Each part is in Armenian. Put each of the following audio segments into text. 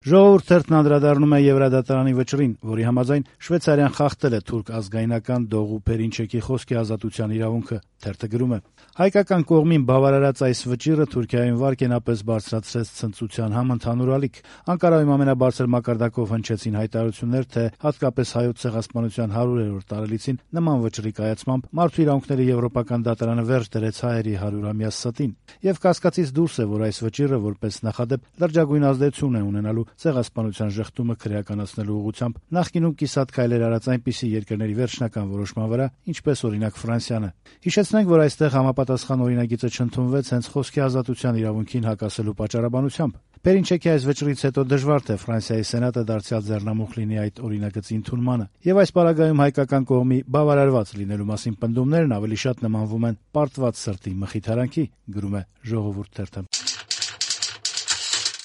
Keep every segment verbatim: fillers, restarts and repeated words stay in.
Ժողովուրդ թերթն անդրադառնում է Եվրադատարանի վճռին, որի համաձայն Շվեյցարիան խախտել է թուրք ազգայնական Դողու Փերինչեկի խոսքի ազատության իրավունքը։ Թերթը գրում է. հայկական կողմին բավարարած այս վճիռը Թուրքիայում վարկենապես բարձրացրեց ցնծության համընդհանուր ալիք։ Անկարայում ամենաբարձր մակարդակով հնչեցին հայտարարություններ, թե հատկապես Հայոց ցեղասպանության հարյուրերորդ տարելիցին նման վճռի կայացմամբ Մարդու իրավունքների եվրոպական դատարանը վերջ դրեց հայերի հարյուրամյա ստին։ Եվ կասկածից դուրս է, որ այս վճիռը որպես նախադեպ լրջագույն ազդեցություն է ունենալու ցեղասպանության ժխտումը քրեականացնելու ուղղությամբ նախկինում կիսատ քայլեր արած այնպիսի երկրների վերջնական որոշման վրա, ինչպես օրինակ Ֆրանսիանը։ Հիշեցնենք, որ այստեղ համապատասխան օրինագիծը չընդունվեց հենց խոսքի ազատության իրավունքին հակասելու պատճառաբանությամբ։ Փերինչեկի այս վճռից հետո դժվար թե Ֆրանսիայի սենատը դարձյալ ձեռնամուխ լինի այդ օրինագծի ընդունմանը, եւ այս պարագայում հայկական կողմի բավարարված լինելու մասին պնդումներն ավելի շատ նմանվում են պարտված սրտի մխիթարանքի, գրում է Ժողովուրդ թերթը։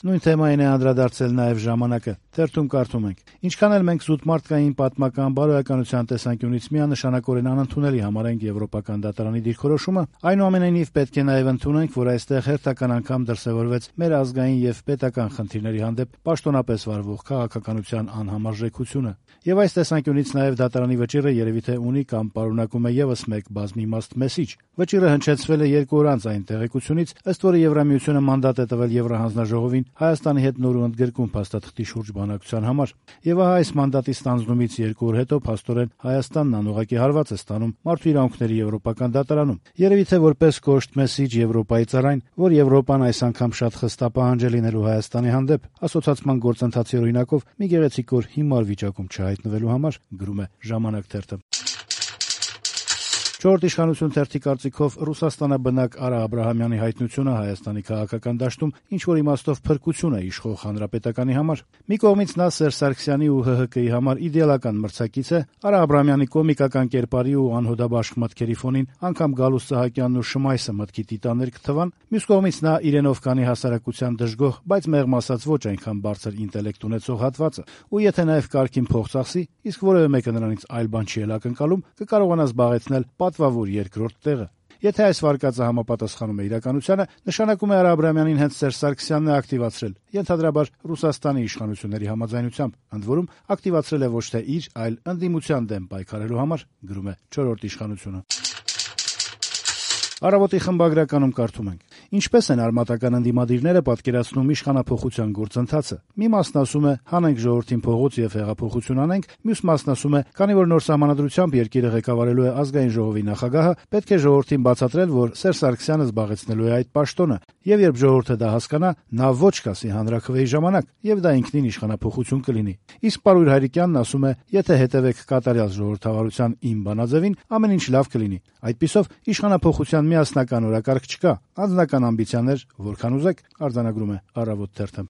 Նույն թեմային է անդրադարձել նաև «Ժամանակը»։ Թերթում կարդում ենք. ինչքան էլ մենք զուտ մարդկային պատմական բարոյականության տեսանկյունից միանշանակորեն անընդունելի համարենք Եվրոպական դատարանի դիրքորոշումը, այնուամենայնիվ պետք է նաև ընդունենք, որ այստեղ հերթական անգամ դրսևորվեց մեր ազգային եւ պետական խնդիրների հանդեպ պաշտոնապես վարվող քաղաքականության անհամարժեքությունը։ Եվ այս տեսանկյունից նաև դատարանի վճիռը երևի թե ունի կամ պարունակում է եւս մեկ բազմիմաստ մեսիջ։ Վճիռը հնչեցվել է երկու օր անց այն տեղեկությունից, ըստ որի Եվրամիությունը մանդատ է տվել Եվրահանձնաժողովին Հայաստանի հետ նոր ու ընդգրկում փաստաթղթի շուրջ բանակցության համար։ Եվ ահա այս մանդատի ստանձնումից երկու օր հետո փաստորեն Հայաստանն անուղղակի հարված է ստանում Մարդու իրավունքների եվրոպական դատարանում։ Երևի թե որպես կոշտ մեսիջ Եվրոպայի ծառային, որ Եվրոպան այս անգամ շատ խստապահանջ է լինելու Հայաստանի հանդեպ ասոցացման գործընթացի օրինակով մի գեղեցիկ օր հիմար վիճակում չհայտնվելու համար, գրում է Ժամանակ թերթը։ Չորրորդ իշխանություն թերթի կարծիքով Ռուսաստանաբնակ Արա Աբրահամյանի հայտնությունը Հայաստանի քաղաքական դաշտում ինչ-որ իմաստով փրկություն է իշխող հանրապետականի համար։ Մի կողմից նա Սերժ Սարգսյանի ու ՀՀԿ-ի համար իդեալական մրցակից է, Արա Աբրահամյանի կոմիկական կերպարի ու անհոդաբաշխ մտքերի ֆոնին անգամ Գալուստ Սահակյանն ու Շմայսը մտքի տիտաններ կթվան, մյուս կողմից նա իրենով կանի հասարակության դժգոհ, բայց մեղմ ասած ոչ այնքան բարձր ինտելեկտ ունեցող հատվածը, ու եթե նաև կարգին փող ծախսի, իսկ որևէ մեկը նրանից այլ բան չի էլ ակնկալում, կկարողանա զբաղեցնել պատվավոր երկրորդ տեղը։ Եթե այս վարկածը համապատասխանում է իրականությանը, նշանակում է Արա Աբրահամյանին հենց Սերժ Սարգսյանն է ակտիվացրել, ենթադրաբար Ռուսաստանի իշխանությունների համաձայնությամբ, ընդ որում ակտիվացրել է ոչ թե իր, այլ ընդդիմության դեմ պայքարելու համար, գրում է Չորրորդ իշխանությունը։ Առավոտի խմբագրականում կարդում ենք. ինչպես են արմատական ընդդիմադիրները պատկերացնում իշխանափոխության գործընթացը։ Մի մասն ասում է՝ հանենք ժողովրդին փողոց եւ հեղափոխություն անենք, մյուս մասն ասում է՝ քանի որ նոր սահմանադրությամբ երկիրը ղեկավարելու է ազգային ժողովի նախագահը, պետք է ժողովրդին բացատրել, որ Սերժ Սարգսյանը զբաղեցնելու է այդ պաշտոնը, եւ երբ ժողովուրդը դա հասկանա, նա ոչ կասի հանրաքվեի ժամանակ, եւ դա ինքնին իշխանափոխություն կլինի։ Իսկ Պարույր Հայրիկյանն ասում է՝ եթե հետևեք կատարյալ ժողովրդավարության իմ բանաձևին, ամեն ինչ լավ կլինի։ Այդպիսով իշխանափոխության միասնական օրակարգ չկա, անձնական ամբիցիաներ որքան ուզեք, արձանագրում է Առավոտ թերթը։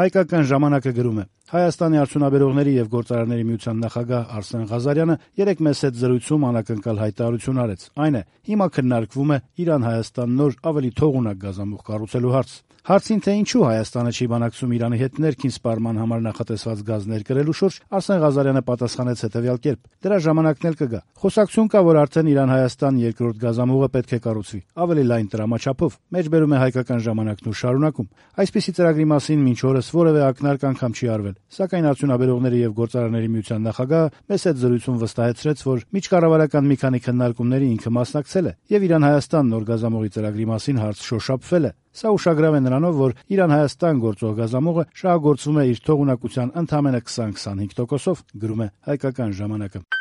Հայկական ժամանակը գրում է. Հայաստանի արդյունաբերողների եւ գործարարների միության նախագահ Արսեն Ղազարյանը երեկ մեծ հետ զրույցում անակնկալ հայտարարություն արեց։ Այն է, հիմա քննարկվում է Իրան-Հայաստան նոր ավելի թողունակ գազամուղ կառուցելու հարց։ Հարցին, թե ինչու Հայաստանը չի բանակցում Իրանի հետ ներքին սպառման համար նախատեսված գազ ներկրելու շուրջ, Արսեն Ղազարյանը պատասխանեց հետևյալ կերպ. դրա ժամանակն էլ կգա։ Խոսակցություն կա, որ արդեն Իրան-Հայաստան երկրորդ գազամուղը պետք է կառուցվի, ավելի լայն տրամաչափով, մեջբերում է Հայկական ժամանակն ու շարունակում։ Այսպիսի ծրագրի մասին մինչ օրս որևէ ակնարկ անգամ չի արվել, սակայն արդյունաբերողների եւ գործարարների միության նախագահը մեծ հետ զրույցում վստահեցրեց, որ միջկառավարական մի քանի քննարկումների ինքը մասնակցել է եւ Իրան-Հայաստան նոր գազամուղի ծրագրի մասին հարց շոշափվել է։ Սա ուշագրավ է նրանով, որ Իրան-Հայաստան գործող գազամուղը շահագործվում է իր թողունակության ընդամենը քսան քսանհինգ տոկոսով, գրում է Հայկական ժամանակը։